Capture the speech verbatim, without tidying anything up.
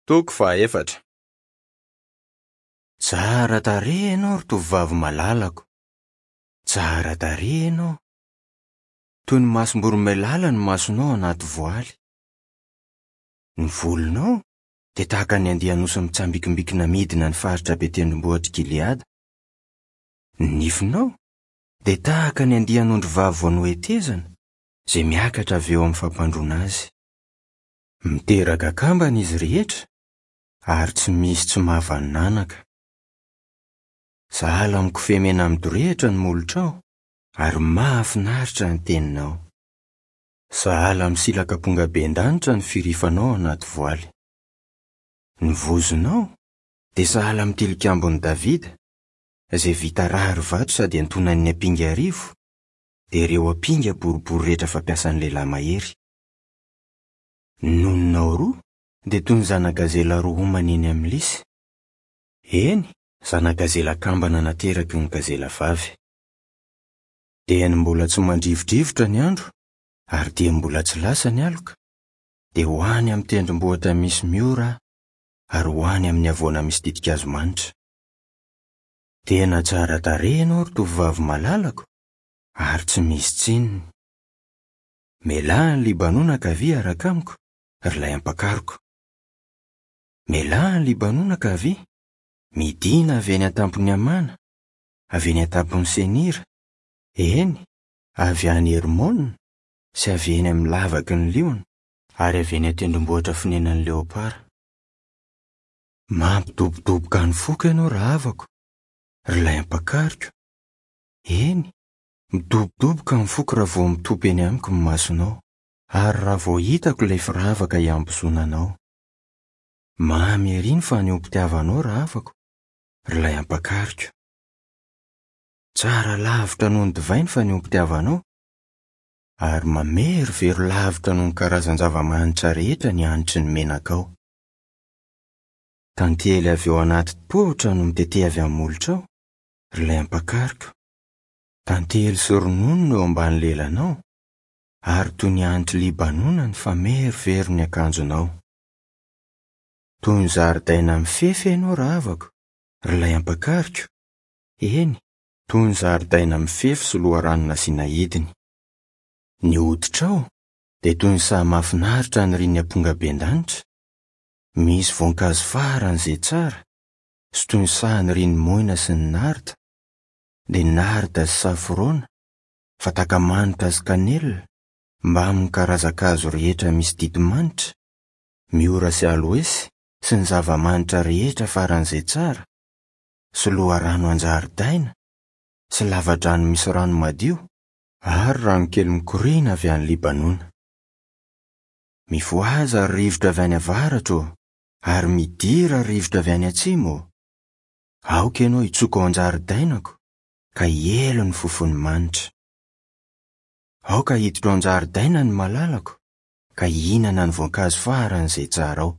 Toko fahaefatra. Tsara tarehy ianao ry tovovavy malalako. Tsara tarehy ianao. Toy ny masom-boromailala ny masonao anaty voaly. Ny volonao dia tahaka ny andian'osy mitsambikimbikina midina ny faritra be tendrombohitr'i Gileada. Ny nifinao dia tahaka ny andian'ondry vavy vao nohetezana izay miakatra avy eo amin'ny fampandroana azy. Miteraka kambana izy rehetra ary tsy misy tsy mahavanonanaka. Sahala amin'ny kofehy mena midorehitra ny molotrao ary mahafinaritra ny teninao. Sahala amin'ny silak'ampongaben-danitra ny firifanao anaty voaly. Ny vozonao dia sahala amin'ny tilikambon'i Davida, izay vita rary vato sady antonan'ny ampinga arivo, dia ireo ampinga boribory rehetra fampiasan'ny lehilahy mahery. Ny nononao roa dia toy ny zana-gazela roa homana eny amin'ny lisy. Eny, zana-gazela kambana nateraky ny gazela vavy. Dia ny mbola tsy mandrivodrivotra ny andro, ary dia mbola tsy lasa ny aloka, dia ho any amin'ny tendrombohitra misy miora aho, ary ho any amin'ny havoana misy ditin-kazo manitra. Tena tsara tarehy ianao ry tovovavy malalako, ary tsy misy tsininy. Mialà any Libanona ka avia hiaraka amiko, ry ilay ampakariko. Mialà any Libanona ka avia, midina avy eny an-tampon'ny Amana, avy eny an-tampon'ny Senira, eny, avy any Hermona sy avy eny amin'ny lavaky ny liona, ary avy eny an-tendrombohitra fonenan'ny leopara. Mampidobodoboka ny foko ianao rahavako, ry ilay ampakariko. Eny, midobodoboka ny foko raha vao mitopy eny amiko ny masonao, ary raha vao hitako ilay firavaka hiambozonanao. Mamy ery ny fanehoam-pitiavanao rahavako, ry ilay ampakariko. Tsara lavitra noho ny divay ny fanehoam-pitiavanao, ary mamerovero lavitra noho ny karazan-java-manitra rehetra ny hanitry ny menakao. Tantely avy eo anaty tohotra no mitete avy amin'ny molotrao, ry ilay ampakariko. Tantely sy ronono no eo ambany lelanao, ary toy ny hanitry Libanona ny famerovero ny akanjonao. Toy ny zaridaina mifefy ianao rahavako, ry ilay ampakariko. Eny, toy ny zaridaina mifefy sy loharano nasiana hidiny. Ny hoditrao dia toy ny saha mahafinaritra nirian'ny ampongaben-danitra, misy voankazo faran'izay tsara, sy toy ny saha nirian'ny moina sy ny narda, dia narda sy safrona, fatakamanitra sy kanelina, mbamin'ny karazan-kazo rehetra misy ditimanitra, miora sy aloesy sy ny zava-manitra rehetra faran'izay tsara, sy loharano an-jaridaina, sy lavadrano misy rano madio, ary rano kely mikoriana avy any Libanona. Mifohaza ry rivotra avy any avaratra ô, ary midira ry rivotra avy any atsimo ô. Aoka ianao hitsoka ao an-jaridainako, ka hielo ny fofony manitra. Aoka hiditra ao an-jaridaina ny malalako, ka hihinana ny voankazo faran'izay tsara ao.